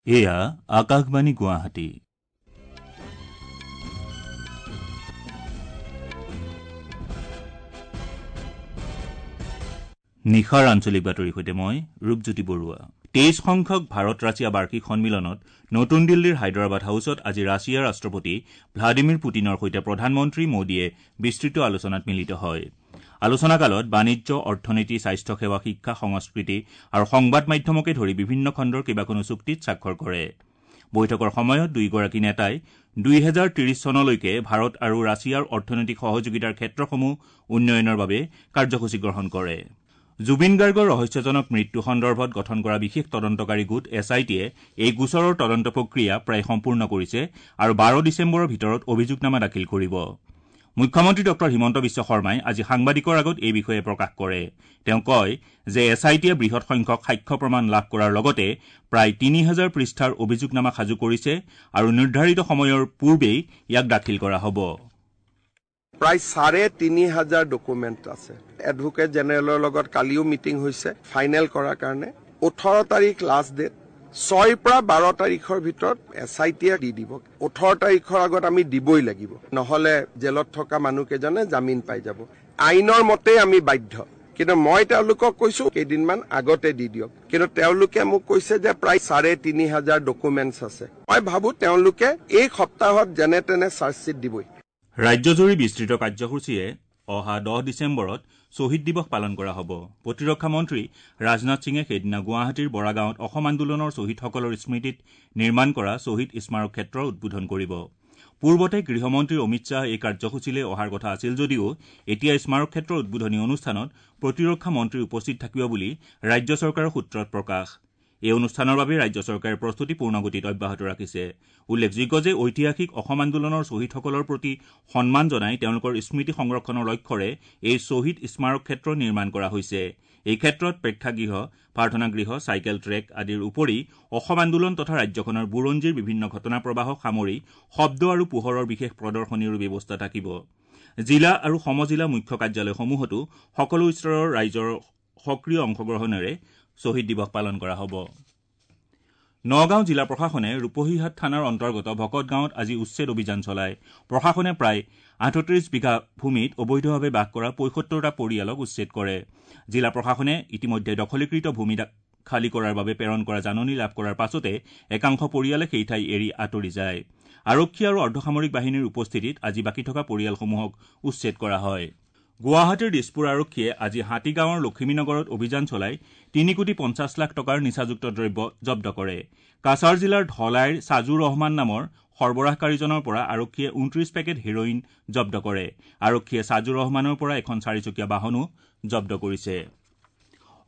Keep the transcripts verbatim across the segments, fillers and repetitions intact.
এয়া আকাশবাণী গুৱাহাটী। নিশাৰ আঞ্চলিক বাতৰিৰ সৈতে মই ৰূপজ্যোতি বৰুৱা। তেইছ সংখ্যক ভাৰত ৰাছিয়া বাৰ্ষিক সন্মিলনত নতুন দিল্লীৰ হায়দৰাবাদ হাউচত আজি ৰাছিয়াৰ ৰাষ্ট্ৰপতি ভ্লাদিমিৰ পুটিনৰ সৈতে প্ৰধানমন্ত্ৰী মোদীয়ে বিস্তৃত আলোচনাত মিলিত হয়। আলোচনাকালত বাণিজ্য, অৰ্থনীতি, স্বাস্থ্যসেৱা, শিক্ষা, সংস্কৃতি আৰু সংবাদ মাধ্যমকে ধৰি বিভিন্ন খণ্ডৰ কেইবাখনো চুক্তিত স্বাক্ষৰ কৰে। বৈঠকৰ সময়ত দুয়োগৰাকী নেতাই দুহেজাৰ ত্ৰিশ চনলৈকে ভাৰত আৰু ৰাছিয়াৰ অৰ্থনৈতিক সহযোগিতাৰ ক্ষেত্ৰসমূহ উন্নয়নৰ বাবে কাৰ্যসূচী গ্ৰহণ কৰে। জুবিন গাৰ্গৰ ৰহস্যজনক মৃত্যু সন্দৰ্ভত গঠন কৰা বিশেষ তদন্তকাৰী গোট এছ I টিয়ে এই গোচৰৰ তদন্ত প্ৰক্ৰিয়া প্ৰায় সম্পূৰ্ণ কৰিছে আৰু বাৰ ডিচেম্বৰৰ ভিতৰত অভিযোগনামা দাখিল কৰিব। মুখ্যমন্ত্ৰী ডঃ হিমন্ত বিশ্ব শৰ্মাই আজি সাংবাদিকৰ আগত এই বিষয়ে প্ৰকাশ কৰে। তেওঁ কয় যে এছ I টিয়ে বৃহৎ সংখ্যক সাক্ষ্য প্ৰমাণ লাভ কৰাৰ লগতে প্ৰায় তিনি হাজাৰ পৃষ্ঠাৰ অভিযোগনামা সাজু কৰিছে আৰু নিৰ্ধাৰিত সময়ৰ পূৰ্বেই ইয়াক দাখিল কৰা হ'ব। প্ৰায় চাৰে তিনি হাজাৰ ডকুমেণ্ট আছে। এডভোকেট জেনেৰেলৰ লগত কালিও মিটিং হৈছে ফাইনেল কৰাৰ কাৰণে। ওঠৰ তাৰিখ লাষ্ট ডেট, ছয়ৰ পৰা বাৰ তাৰিখৰ ভিতৰত এছ I টিয়ে দি দিব। ওঠৰ তাৰিখৰ আগত আমি দিবই লাগিব, নহ'লে জেলত থকা মানুহকেইজনে জামিন পাই যাব। আইনৰ মতেই আমি বাধ্য, কিন্তু মই তেওঁলোকক কৈছো কেইদিনমান আগতে দি দিয়ক। কিন্তু তেওঁলোকে মোক কৈছে যে প্ৰায় চাৰে তিনি হাজাৰ ডকুমেণ্টছ আছে। মই ভাবো তেওঁলোকে এই সপ্তাহত যেনে তেনে চাৰ্জশ্বীট দিবই। ৰাজ্যজুৰি বিস্তৃত কাৰ্যসূচীৰে অহা দহ ডিচেম্বৰত শ্বহীদ দিৱস পালন কৰা হ'ব। প্ৰতিৰক্ষা মন্ত্ৰী ৰাজনাথ সিঙে সেইদিনা গুৱাহাটীৰ বৰাগাঁৱত অসম আন্দোলনৰ শ্বহীদসকলৰ স্মৃতিত নিৰ্মাণ কৰা শ্বহীদ স্মাৰক ক্ষেত্ৰ উদ্বোধন কৰিব। পূৰ্বতে গৃহমন্ত্ৰী অমিত শ্বাহ এই কাৰ্যসূচীলৈ অহাৰ কথা আছিল যদিও এতিয়া স্মাৰক ক্ষেত্ৰৰ উদ্বোধনী অনুষ্ঠানত প্ৰতিৰক্ষা মন্ত্ৰী উপস্থিত থাকিব বুলি ৰাজ্য চৰকাৰৰ সূত্ৰত প্ৰকাশ। এই অনুষ্ঠানৰ বাবে ৰাজ্য চৰকাৰে প্ৰস্তুতি পূৰ্ণগতিত অব্যাহত ৰাখিছে। উল্লেখযোগ্য যে ঐতিহাসিক অসম আন্দোলনৰ শ্বহীদসকলৰ প্ৰতি সন্মান জনাই তেওঁলোকৰ স্মৃতি সংৰক্ষণৰ লক্ষ্যৰে এই শ্বহীদ স্মাৰক ক্ষেত্ৰ নিৰ্মাণ কৰা হৈছে। এই ক্ষেত্ৰত প্ৰেক্ষাগৃহ, প্ৰাৰ্থনাগৃহ, চাইকেল ট্ৰেক আদিৰ উপৰি অসম আন্দোলন তথা ৰাজ্যখনৰ বুৰঞ্জীৰ বিভিন্ন ঘটনা প্ৰবাহক সামৰি শব্দ আৰু পোহৰৰ বিশেষ প্ৰদৰ্শনীৰো ব্যৱস্থা থাকিব। জিলা আৰু সমজিলা মুখ্য কাৰ্যালয়সমূহতো সকলো স্তৰৰ ৰাইজৰ সক্ৰিয় অংশগ্ৰহণেৰে শ্বহীদ দিৱস পালন কৰা হ'ব। নগাঁও জিলা প্ৰশাসনে ৰূপহীহাট থানাৰ অন্তৰ্গত ভকত গাঁৱত আজি উচ্ছেদ অভিযান চলায়। প্ৰশাসনে প্ৰায় আঠত্ৰিশ বিঘা ভূমিত অবৈধভাৱে বাস কৰা পঁয়সত্তৰটা পৰিয়ালক উচ্ছেদ কৰে। জিলা প্ৰশাসনে ইতিমধ্যে দখলীকৃত ভূমি খালী কৰাৰ বাবে প্ৰেৰণ কৰা জাননী লাভ কৰাৰ পাছতে একাংশ পৰিয়ালে সেই ঠাই এৰি আঁতৰি যায়। আৰক্ষী আৰু অৰ্ধসামৰিক বাহিনীৰ উপস্থিতিত আজি বাকী থকা পৰিয়ালসমূহক উচ্ছেদ কৰা হয়। গুৱাহাটীৰ দিছপুৰ আৰক্ষীয়ে আজি হাতীগাঁৱৰ লখিমীনগৰত অভিযান চলাই তিনি কোটি পঞ্চাছ লাখ টকাৰ নিচাযুক্ত দ্ৰব্য জব্দ কৰে। কাছাৰ জিলাৰ ধলাইৰ চাজুৰ ৰহমান নামৰ সৰবৰাহকাৰীজনৰ পৰা আৰক্ষীয়ে ঊনত্ৰিশ পেকেট হেৰইন জব্দ কৰে। আৰক্ষীয়ে চাজুৰ ৰহমানৰ পৰা এখন চাৰিচকীয়া বাহনো জব্দ কৰিছে।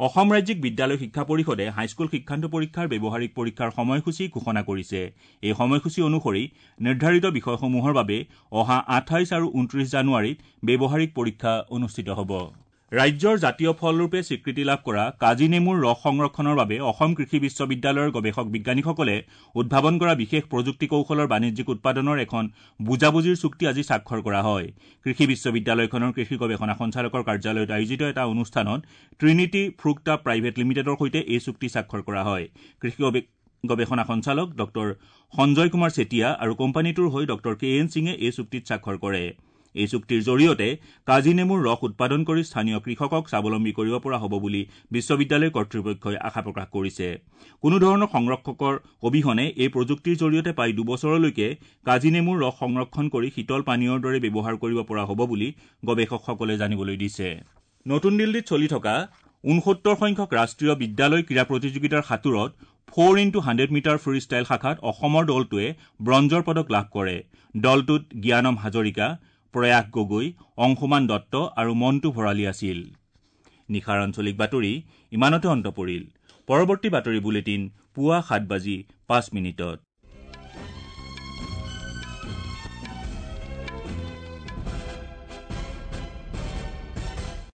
অসম ৰাজ্যিক বিদ্যালয় শিক্ষা পৰিষদে হাইস্কুল শিক্ষান্ত পৰীক্ষাৰ ব্যৱহাৰিক পৰীক্ষাৰ সময়সূচী ঘোষণা কৰিছে। এই সময়সূচী অনুসৰি নিৰ্ধাৰিত বিষয়সমূহৰ বাবে অহা আঠাইছ আৰু ঊনত্ৰিশ জানুৱাৰীত ব্যৱহাৰিক পৰীক্ষা অনুষ্ঠিত হ'ব। ৰাজ্যৰ জাতীয় ফলৰূপে স্বীকৃতি লাভ কৰা কাজি নেমুৰ ৰস সংৰক্ষণৰ বাবে অসম কৃষি বিশ্ববিদ্যালয়ৰ গৱেষক বিজ্ঞানীসকলে উদ্ভাৱন কৰা বিশেষ প্ৰযুক্তি কৌশলৰ বাণিজ্যিক উৎপাদনৰ এখন বুজাবুজিৰ চুক্তি আজি স্বাক্ষৰ কৰা হয়। কৃষি বিশ্ববিদ্যালয়খনৰ কৃষি গৱেষণা সঞ্চালকৰ কাৰ্যালয়ত আয়োজিত এটা অনুষ্ঠানত ট্ৰিনিটি ফ্ৰুক্টা প্ৰাইভেট লিমিটেডৰ সৈতে এই চুক্তি স্বাক্ষৰ কৰা হয়। কৃষি গৱেষণা সঞ্চালক ডঃ সঞ্জয় কুমাৰ চেতিয়া আৰু কোম্পানীটোৰ হৈ ডঃ কে এন সিঙে এই চুক্তিত স্বাক্ষৰ কৰে। এই চুক্তিৰ জৰিয়তে কাজি নেমুৰ ৰস উৎপাদন কৰি স্থানীয় কৃষকক স্বাৱলম্বী কৰিব পৰা হ'ব বুলি বিশ্ববিদ্যালয় কৰ্তৃপক্ষই আশা প্ৰকাশ কৰিছে। কোনো ধৰণৰ সংৰক্ষকৰ অবিহনে এই প্ৰযুক্তিৰ জৰিয়তে প্ৰায় দুবছৰলৈকে কাজি নেমুৰ ৰস সংৰক্ষণ কৰি শীতল পানীয়ৰ দৰে ব্যৱহাৰ কৰিব পৰা হ'ব বুলি গৱেষকসকলে জানিবলৈ দিছে। নতুন দিল্লীত চলি থকা ঊনসত্তৰ সংখ্যক ৰাষ্ট্ৰীয় বিদ্যালয় ক্ৰীড়া প্ৰতিযোগিতাৰ সাঁতোৰত four into hundred metre free style শাখাত অসমৰ দলটোৱে ব্ৰঞ্জৰ পদক লাভ কৰে। দলটোত জ্ঞানম হাজৰিকা, প্ৰয়াস গগৈ, অংশুমান দত্ত আৰু মণ্টু ভৰালী আছিল। নিশাৰ আঞ্চলিক বাতৰি ইমানতে অন্ত পৰিল। পৰৱৰ্তী বাতৰি বুলেটিন পুৱা সাত বাজি পাঁচ মিনিটত।